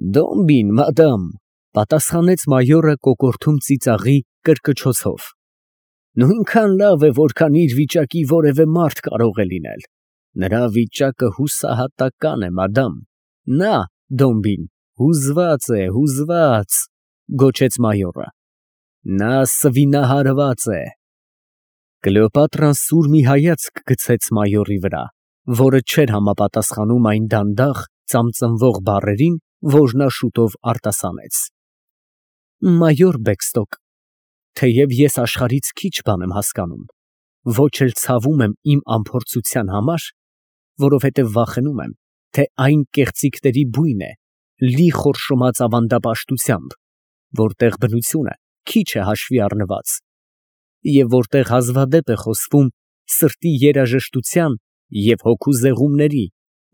Դոմբին, մադամ, պատասխանեց մայորը կոկորդում ծիծաղի կրկչոցով։ Նույնքան լավ է, որքան իր վիճակի որևէ մարդ կարող է լինել։ Նրա վիճակը հուսահատական է, մադամ։ Նա, Դոմբին, հուզված է, հուզված, գոչեց մայորը։ Նա սվինահարված է։ Կլեոպատրան սուր մի հայացք գցեց մայորի վրա, որը չէր համապատասխանում այն դանդաղ ծամծմվող բառերին, որ նա շուտով արտասանեց։ Մայոր Բեքստոկ, թեև ես աշխարհից քիչ բան եմ հասկանում, ոչ էլ ցավում եմ իմ անփորձության համար, որովհետև վախենում եմ, թե այն կեղծիքների բույն է, լի խորշոմած ավանդապաշտությամբ, որտեղ բնությունը քիչ է հաշվի առնված, և որտեղ հազվադեպ է խոսվում սրտի երաժշտության և հոգու զեղումների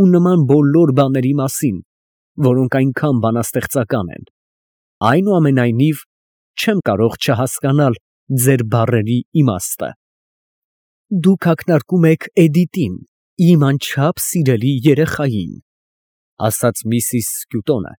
ու նման բոլոր բաների մասին, որոնք այնքան բանաստեղծական են, այնուամենայնիվ չեմ կարող չհասկանալ ձեր բառերի իմաստը։ Դուք ակնարկում եք Էդիտին, իմ անչափ սիրելի երեխային, ասաց միսիս Սկյուտոնը,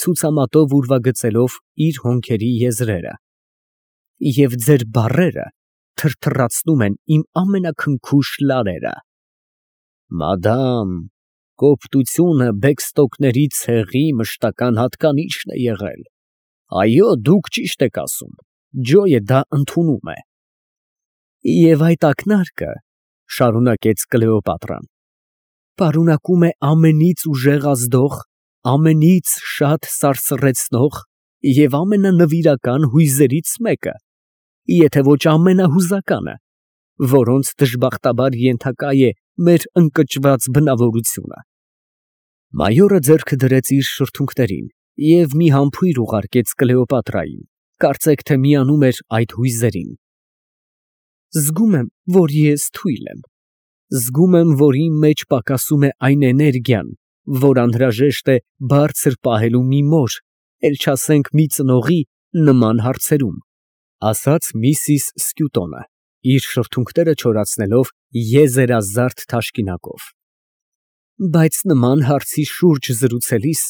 ցուցամատով ուրվագծելով իր հոնքերի եզրերը, և ձեր բառերը թրթռացնում են իմ ամենաքնքուշ լարերը։ Մադամ, կոպտությունը Բեքստոկների ցեղի մշտական հատկանիշն է եղել։ Այո, դուք ճիշտ եք ասում, Ջոյը դա ընդունում է։ Եվ այդ ակնարկը, շարունակեց Կլեոպատրան, պարունակում է ամենից ուժեղ ազդող, ամենից շատ սարսռեցնող և ամենանվիրական հույզերից մեկը, եթե ոչ ամենահուզականը, որոնց դժբախտաբար ենթակա է մեր ընկճված բնավորությունը։ Մայորը ձեռքը դրեց իր շրթունքներին և մի համբույր ուղարկեց Կլեոպատրային, կարծեք թե միանում էր այդ հույզերին։ Զգում եմ, որ ես թույլ եմ։ Զգում եմ, որ իմ մեջ պակասում է այն էներգիան, որ անհրաժեշտ է բարձր պահելու մի մոր, էլ չասենք մի ծնողի նման հարցերում, ասաց միսիս Սկյուտոնը, իր շրթունքները չորացնելով եզերազարդ թաշկինակով։ Բայց նման հարցի շուրջ զրուցելիս,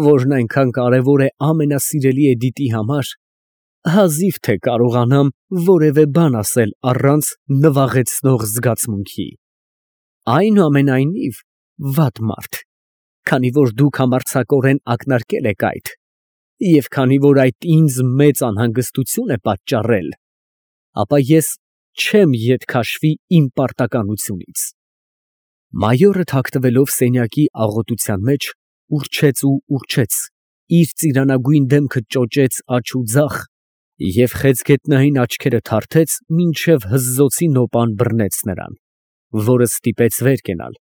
որն այնքան կարևոր է ամենասիրելի Էդիտի համար, հազիվ թե կարողանամ որևէ բան ասել առանց նվաղեցնող զգացմունքի։ Այնուամենայնիվ, վատ մարդ, քանի որ դուք համարձակորեն ակնարկել եք այդ, և քանի որ այդ ինձ մեծ անհանգստություն է պատճառել, ապա ես չեմ ետ քաշվի իմ պարտականությունից։ Մայորը թաքնվելով սենյակի աղոտության մեջ, ուրչեց, իր ծիրանագույն դեմքը ճոճեց աջ ու ձախ և խեցգետնային աչքերը թարթեց, մինչև հզզոցի նոպան բռնեց նրան, որը ստիպեց վեր կենալ,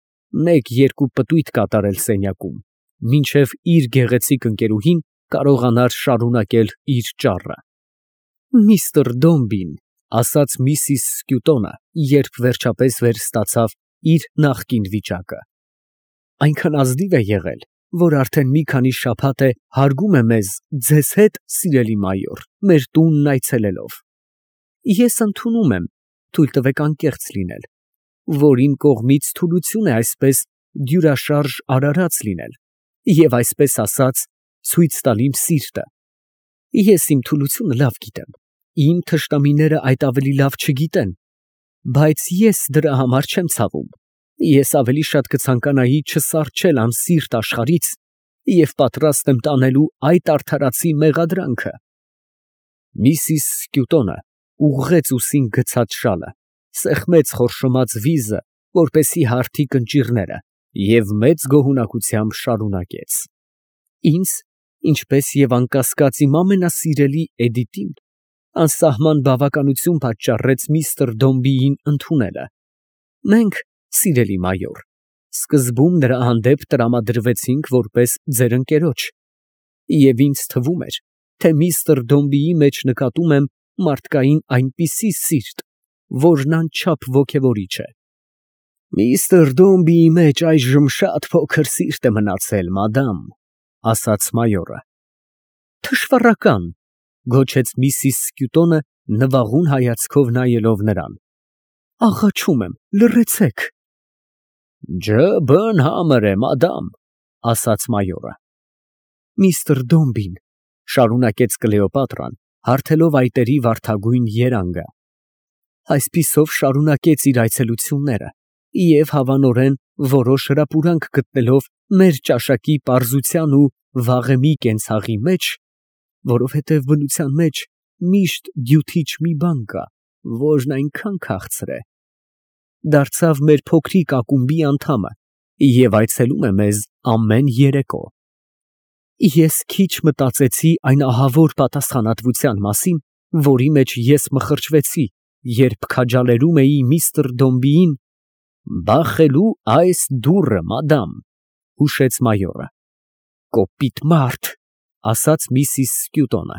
մեկ֊երկու պտույտ կատարել սենյակում, մինչև իր գեղեցիկ ընկերուհին կարողանար շարունակել իր ճառը։ Միստր Դոմբին, ասաց միսիս Սկյուտոնը, երբ վերջապես վերստացավ իր նախկին վիճակը, այնքան ազնիվ է եղել, որ արդեն մի քանի շաբաթ է հարգում է մեզ ձեզ հետ, սիրելի մայոր, մեր տունն այցելելով։ Ես ընդունում եմ, թույլ տվեք անկեղծ լինել, որ իմ կողմից թուլություն է այսպես դյուրաշարժ արարած լինել և այսպես ասած ցույց տալ իմ սիրտը։ Ես իմ թուլությունը լավ գիտեմ, իմ թշնամիները այդ ավելի լավ չգիտեն, բայց ես դրա համար չեմ ցավում, ես ավելի շատ կցանկանայի չսառչել անսիրտ աշխարհից և պատրաստ եմ տանելու այդ արդարացի մեղադրանքը։ Միսիս Սկյուտոնը ուղղեց ուսին գցած շալը, սեղմեց խորշոմած վիզը, որպեսզի հարթի կնճիռները, և մեծ գոհունակությամբ շարունակեց. Ինձ, ինչպես և անկասկած իմ ամենասիրելի Էդիտին, անսահման բավականություն պատճառեց միստր Դոմբիին ընդունելը։ Մենք, սիրելի մայոր, սկզբում նրա հանդեպ տրամադրվեցինք որպես ձեր ընկերոջ, և ինձ թվում էր, թե միստր Դոմբիի մեջ նկատում եմ մարդկային այնպիսի սիրտ, որն անչափ ոգևորիչ է։ Միստր Դոմբիի մեջ այժմ շատ փոքր սիրտ է մնացել, մադամ, ասաց մայորը։ Թշվառական, գոչեց միսիս Սկյուտոնը, նվաղուն հայացքով նայելով նրան։ Աղաչում եմ, լռեցեք։ Ջը բըն համր է, մադամ, ասաց մայորը։ Միստր Դոմբին, շարունակեց Կլեոպատրան, հարթելով այտերի վարդագույն երանգը, այսպիսով շարունակեց իր այցելությունները և հավանորեն որոշ հրապուրանք գտնելով մեր ճաշակի պարզության ու վաղեմի կենցաղի մեջ, որովհետև բնության մեջ միշտ դյութիչ մի բան կա, որն այնքան քաղցր է, դարձավ մեր փոքրիկ ակումբի անդամը և այցելում է մեզ ամեն երեկո։ Ես քիչ մտածեցի այն ահավոր պատասխանատվության մասին, որի մեջ ես մխրճվեցի, երբ քաջալերում էի միստր Դոմբիին։ «Բախելու այս դուռը, մադամ», հուշեց մայորը։ «Կոպիտ մարդ», ասաց միսիս Սկյուտոնը։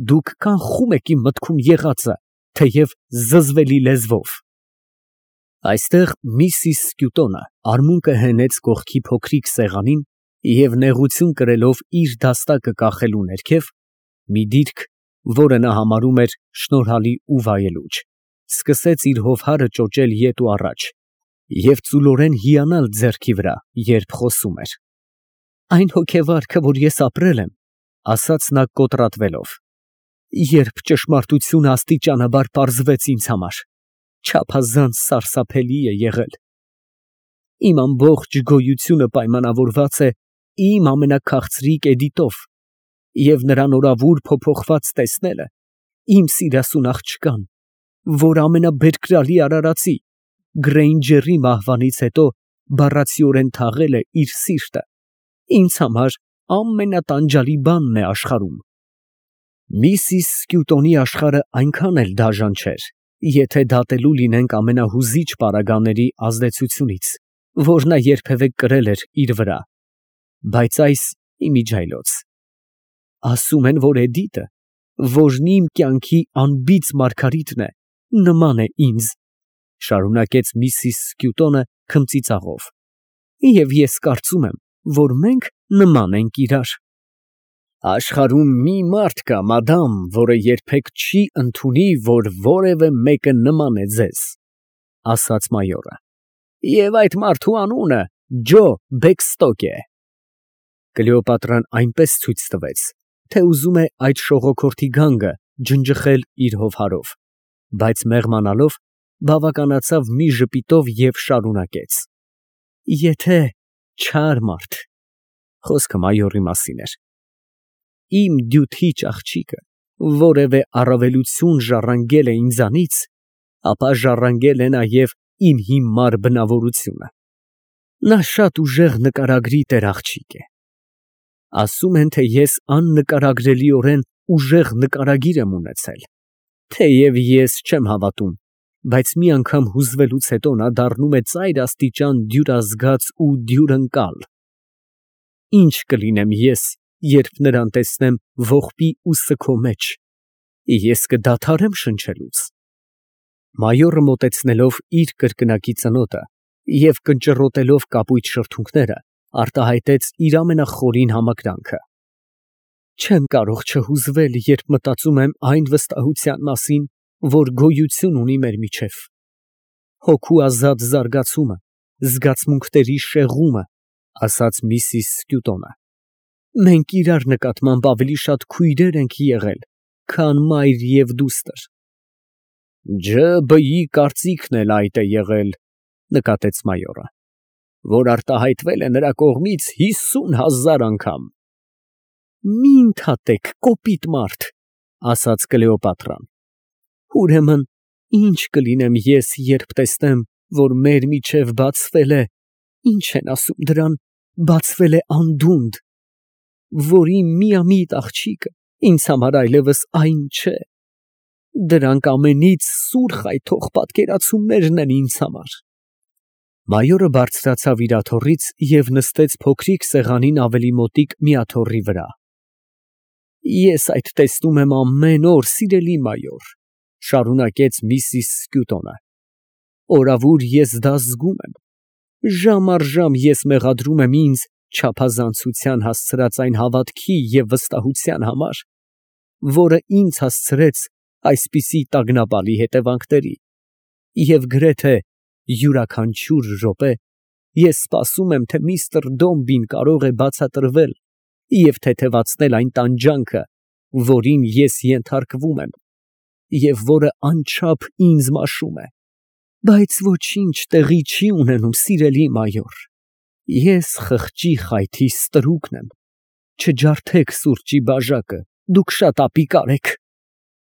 «Դուք կանխում եք իմ մտքում եղածը, թեև զզվելի լեզվով»։ Այստեղ միսիս Սկյուտոնը արմունկը հենեց կողքի փոքրիկ սեղանին և նեղություն կրելով իր դաստակը կախելու ներքև, մի դիրք, որը նա համարում էր շնորհալի ու վայելուչ, սկսեց իր հովհարը ճոճել ետ ու առաջ և ծուլորեն հիանալ ձեռքի վրա, երբ խոսում էր։ «Այն հոգեվարքը, որ ես ապրել եմ, ֊ ասաց նա կոտրատվելով, ֊ երբ ճշմարտությունը աստիճանաբար պարզվեց ինձ համար, չափազանց սարսափելի է եղել։ Իմ ամբողջ գոյությունը պայմանավորված է իմ ամենաքաղցրիկ Էդիտով և նրան օրավուր փոփոխված տեսնելը իմ սիրասուն աղջկան, որ ամենաբերկրալի արարածի Գրեյնջերի մահվանից հետո բառացիորեն թաղել է իր սիրտը, ինձ համար ամենատանջալի բանն է աշխարհում։ Միսիս Սկյուտոնի աշխարհը այնքան էլ դաժան չէր, եթե դատելու լինենք ամենահուզիչ պարագաների ազդեցությունից, որ նա երբևէ կրել էր իր վրա, բայց այս իմիջիայլոց։ Ասում են, որ Էդիտը, որն իմ կյանքի անբիծ մարգարիտն է, նման է ինձ, շարունակեց միսիս Սկյուտոնը քմծիծաղով, և ես կարծում եմ, որ մենք նման ենք իրար։ Աշխարհում մի մարդ կա, մադամ, որը երբեք չի ընդունի, որ որևէ մեկը նման է ձեզ, ասաց մայորը, և այդ մարդու անունը Ջո Բեքստոկ է։ Կլեոպատրան այնպես ցույց տվեց, թե ուզում է այդ շողոքորթի գանգը ջնջխել իր հովհարով, բայց մեղմանալով բավականացավ մի ժպիտով և շարունակեց. Եթե չար մարդ, խոսքը մայորի մասին էր, իմ դյութիչ աղջիկը որևէ առավելություն ժառանգել է ինձանից, ապա ժառանգել է նաև իմ հիմար բնավորությունը։ Նա շատ ուժեղ նկարագրի տեր աղջիկ է։ Ասում են, թե ես աննկարագրելիորեն ուժեղ նկարագիր եմ ունեցել, թեև ես չեմ հավատում, բայց մի անգամ հուզվելուց հետո նա դառնում է ծայր աստիճան դյուրազգաց ու դյուրընկալ։ Ինչ կլինեմ ես, երբ նրան տեսնեմ ողբի ու սգո մեջ, ես կդադարեմ շնչելուց։ Մայորը մոտեցնելով իր կրկնակի ծնոտը և կնճռոտելով կապույտ շրթունքները, արտահայտեց իր ամենախորին համակրանքը։ Չեմ կարող չհուզվել, երբ մտածում եմ այն վստահության մասին, որ գոյություն ունի մեր միջև։ Հոգու ազատ զարգացումը, զգացմունքների շեղումը, ասաց միսիս Սկյուտոնը։ Մենք իրար նկատմամբ ավելի շատ քույրեր ենք եղել, քան մայր և դուստր։ ՋԲ֊ի կարծիքն էլ այդ է եղել, նկատեց մայորը, որ արտահայտվել է նրա կողմից 50,000 անգամ։ Մի ընդհատեք, կոպիտ մարդ, ասաց Կլեոպատրան։ Ուրեմն ինչ կլինեմ ես, երբ տեսնեմ, որ մեր միջև բացվել է, ինչ են ասում դրան, բացվել է անդունդ, որ իմ միամիտ աղջիկը ինձ համար այլևս այն չէ։ Դրանք ամենից սուր խայթող պատկերացումներն են ինձ համար։ Մայորը բարձրացավ իր աթոռից և նստեց փոքրիկ սեղանին ավելի մոտիկ մի աթոռի վրա։ Ես այդ տեսնում եմ ամեն օր, սիրելի մայոր, շարունակեց միսիս Սկյուտոնը։ Օրավուր ես դա զգում եմ։ Ժամ առ ժամ ես մեղադրում եմ ինձ չափազանցության հասցրած այն հավատքի և վստահության համար, որը ինձ հասցրեց այսպիսի տագնապալի հետևանքների, և գրեթե յուրաքանչյուր րոպե ես սպասում եմ, թե միստր Դոմբին կարող է բացատրվել և թեթևացնել այն տանջանքը, որին ես ենթարկվում եմ, և որը անչափ ինձ մաշում է, բայց ոչինչ տեղի չի ունենում, սիրելի մայոր, ես խղճի խայթի ստրուկն եմ, չջարդեք սուրճի բաժակը, դուք շատ ապիկար եք,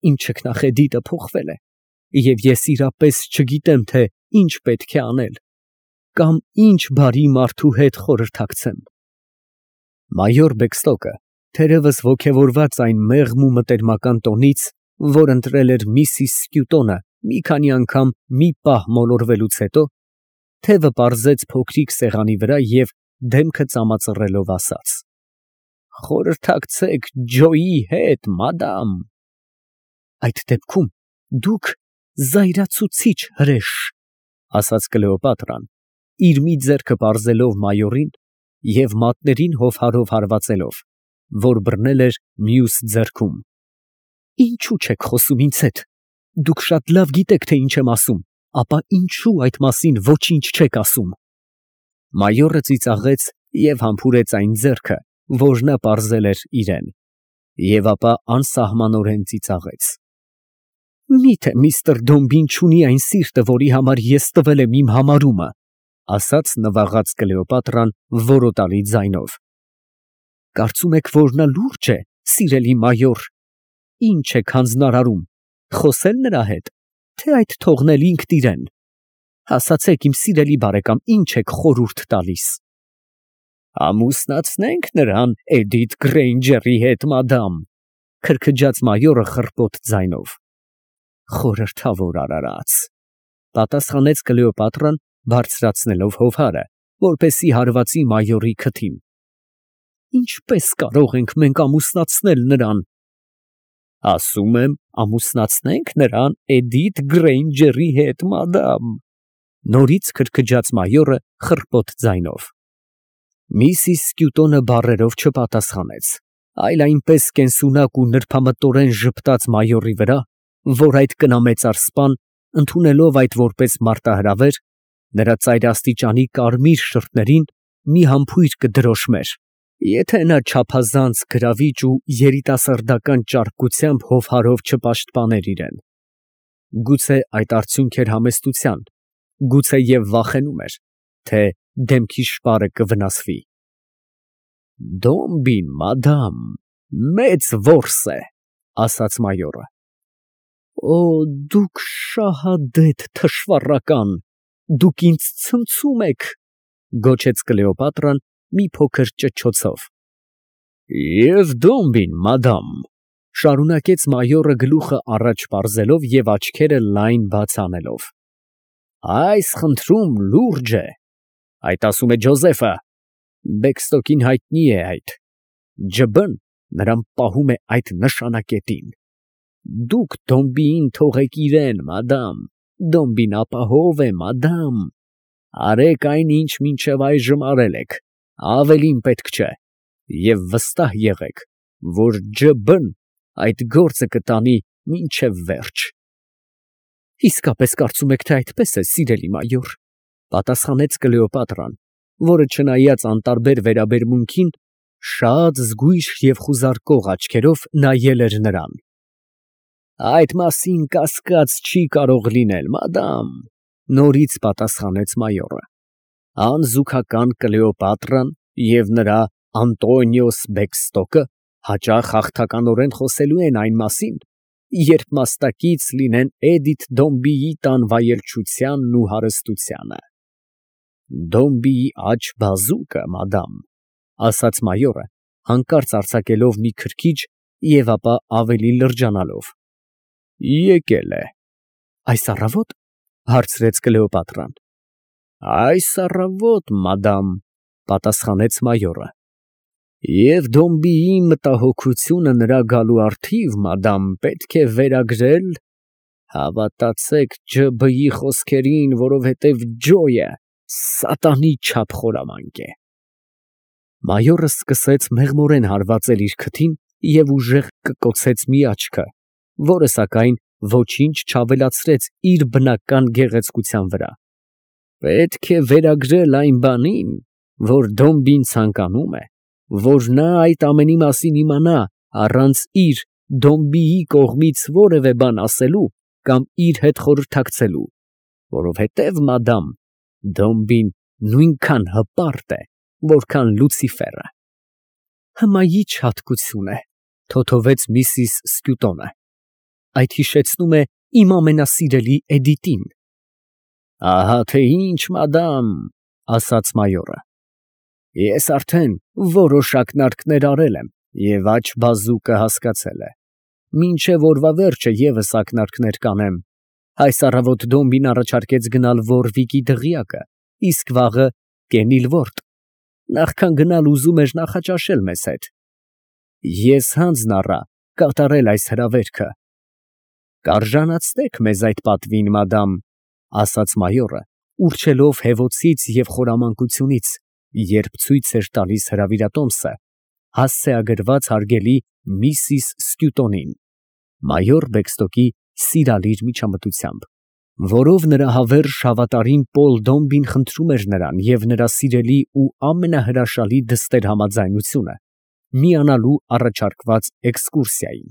իմ չքնախեդիտը փոխվել է, և ես իրապես չգիտեմ, թե ինչ պետք է անել, կամ ինչ բարի մարդու հետ խորհրդակցեմ։ Մայոր Բեքստոկը, թերևս ոգևորված այն մեղմ ու մտերմական տոնից, որ ընտրել էր միսիս Սկյուտոնը մի քանի անգամ մի պահ մոլորվելուց հետո, թևը պարզեց փոքրիկ սեղանի վրա և դեմքը ծամածռելով ասաց. «Խորհրդակցեք Ջոյի հետ, մադամ»։ «Այդ դեպքում դուք զայրացուցիչ հրեշ», ասաց Կլեոպատրան, իր մի ձեռքը պարզելով մայորին և մատներին հովհարով հարվածելով, որ բռնել էր մյուս ձեռքում։ «Ինչու չեք խոսում ինձ հետ, դուք շատ լավ գիտեք, թե ինչ եմ ասում, ապա ինչու այդ մասին ոչինչ չեք ասում»։ Մայորը ծիծաղեց և համբուրեց այն ձեռքը, որ նա պարզել էր իրան, և ապա անսահմանորեն ծիծաղեց։ «Մի՞թե միստր Դոմբին չունի այն սիրտը, որի համար ես տվել եմ իմ համարումը», ասաց նվաղած Կլեոպատրան որոտալի ձայնով։ «Կարծում եք, որ նա լուրջ է, սիրելի մայոր, ինչ եք հանձնարարում, խոսե՞լ նրա հետ, թե այդ թողնել ինքն իրան։ Ասացեք, իմ սիրելի բարեկամ, ինչ եք խորհուրդ տալիս»։ «Ամուսնացնենք նրան Էդիթ Գրեյնջերի հետ, մադամ», քրքջաց մայորը խռպոտ ձայնով։ «Խորհրդավոր արարած», պատասխանեց Կլեոպատրան, բարձրացնելով հովհարը, որպեսզի հարվածի մայորի քթին։ «Ինչպես կարող ենք մենք ամուսնացնել նրան»։ «Ասում եմ, ամուսնացնենք նրան Էդիթ Գրեյնջերի հետ, մադամ», նորից քրքջաց մայորը խռպոտ ձայնով։ Միսիս Սկյուտոնը բառերով չպատասխանեց, այլ այնպես կենսունակ ու նրբամտորեն ժպտաց մայորի վրա, որ այդ կնամեծար սպան, ընդունելով այդ որպես մարտահրավեր, նրա ծայրաստիճանի կարմիր շրթերին մի համբույր կդրոշմեր, եթե նա չափազանց գրավիչ ու երիտասարդական ճարպկությամբ հովհարով չպաշտպաներ իրան։ Գուցե այդ արդյունք էր համեստության, գուցե և վախենում էր, թե դեմքի շպարը կվնասվի։ «Դոմբին, մադամ, մեծ որս է», ասաց մայորը։ «Օ, դուք շահադեթ թշվառական, դուք ինձ ցնցում եք», գոչեց Կլեոպատրան մի փոքր ճչոցով։ «Եվ Դոմբին, մադամ», շարունակեց մայորը գլուխը առաջ պարզելով և աչքերը լայն բաց անելով, «այս խնդրում լուրջ է, այդ ասում է Ջոզեֆը, Բեքստոկին հայտնի է այդ, ջբ֊ն նրան պահում է այդ նշանակետին։ Դուք Դոմբիին թողեք իրան, մադամ, Դոմբին ապահով է, մադամ, արեք այն, ինչ մինչև այժմ արել եք, ավելին պետք չէ, և վստահ եղեք, որ ջբ֊ն այդ գործը կտանի մինչև վերջ»։ «Իսկապես կարծում եք, թե այդպես է, սիրելի մայոր», պատասխանեց Կլեոպատրան, որը չնայած անտարբեր վերաբերմունքին, շատ զգույշ և խուզարկող աչքերով նայել էր նրան։ «Այդ մասին կասկած չի կարող լինել, մադամ», նորից պատասխանեց մայորը։ «Անզուգական Կլեոպատրան և նրա Անտոնիոս Բեքստոկը հաճախ հաղթականորեն խոսելու են այն մասին, երբ մասնակից լինեն Էդիթ Դոմբիի տան վայելչությանն ու հարստությանը»։ «Դոմբիի աջ բազուկը, մադամ», ասաց մայորը, հանկարծ արձակելով մի քրքիջ և ապա ավելի լրջանալով, «եկել է»։ «Այս առավո՞տ», հարցրեց Կլեոպատրան։ «Այս առավոտ, մադամ», պատասխանեց մայորը։ «Եվ Դոմբիի մտահոգությունը նրա գալու առթիվ, մադամ, պետք է վերագրել, հավատացեք ջբ֊ի խոսքերին, որովհետև Ջոյը սատանի չափ խորամանկ է»։ Մայորը սկսեց մեղմորեն հարվածել իր քթին և ուժեղ կկոցեց մի աչքը, որը սակայն ոչինչ չավելացրեց իր բնական գեղեցկության վրա։ «Պետք է վերագրել այն բանին, որ Դոմբին ցանկանում է, որ նա այդ ամենի մասին իմանա առանց իր Դոմբիի կողմից որևէ բան ասելու կամ իր հետ խորհրդակցելու, որովհետև, մադամ, Դոմբին նույնքան հպարտ է, որքան Լուցիֆերը։ Հմայի չհատկություն է, թոթովեց միսիս Սկյուտոնը, այդ հիշեցնում է իմ ամենասիրելի Էդիտին։ Ահա թե ինչ, մադամ, ասաց մայորը, ես արդեն որոշ ակնարկներ արել եմ և աջ բազուկը հասկացել է, մինչև օրվա վերջը ևս ակնարկներ կանեմ։ Այս առավոտ Դոմբին առաջարկեց գնալ Ոռվիկի դղյակը, իսկ վաղը Կենիլվորտ, նախքան գնալ ուզում էր նախաճաշել մեզ հետ։ Ես հանձն առա կատարել այս հրավերքը։ Կարժանացնեք մեզ այդ պատվին, մադամ, ասաց մայորը, ուռչելով հևոցից և խորամանկությունից, երբ ցույց էր տալիս հրավիրատոմսը, հասցեագրված հարգելի միսիս Սկյուտոնին, մայոր Բեքստոկի սիրալիր միջամտությամբ, որով նրա հավերժ հավատարիմ Պոլ Դոմբին խնդրում էր նրան և նրա սիրելի ու ամենահրաշալի դստեր համաձայնությունը միանալու առաջարկված էքսկուրսիային։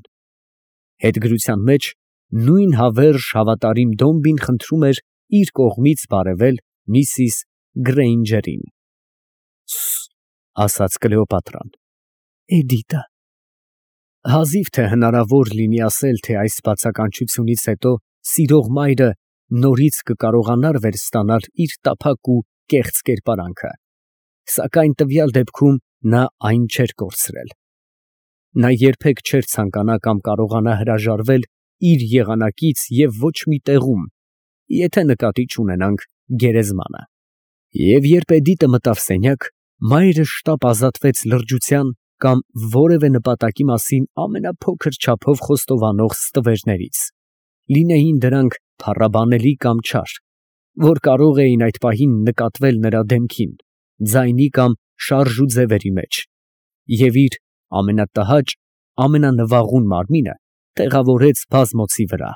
Հետգրության մեջ նույն հավերժ հավատարիմ Դոմբին խնդրում էր իր կողմից բարևել միսիս Գրեյնջերին։ Ասաց Կլեոպատրան, Էդիտը։ Հազիվ թե հնարավոր լինի ասել, թե այս բացականչությունից հետո սիրող մայրը նորից կկարողանար վերստանալ իր տափակ ու կեղծ կերպարանքը, սակայն տվյալ դեպքում նա այն չէր կորցրել։ Նա երբեք չէր ցանկանա կամ կարողանա հրաժարվել իր եղանակից և ոչ մի տեղում, եթե նկատի չունենանք գերեզմանը։ Եվ երբ Էդիտը մտավ սենյակ, մայրը շտապ ազատվեց լրջության կամ որևէ նպատակի մասին ամենափոքր չափով խոստովանող ստվերներից, լինեին դրանք փառաբանելի կամ չար, որ կարող էին այդ պահին նկատվել նրա դեմքին, ձայնի կամ շարժ ու ձևերի մեջ, և իր ամենատհաճ, ամենանվաղուն մարմինը տեղավորեց բազմոցի վրա։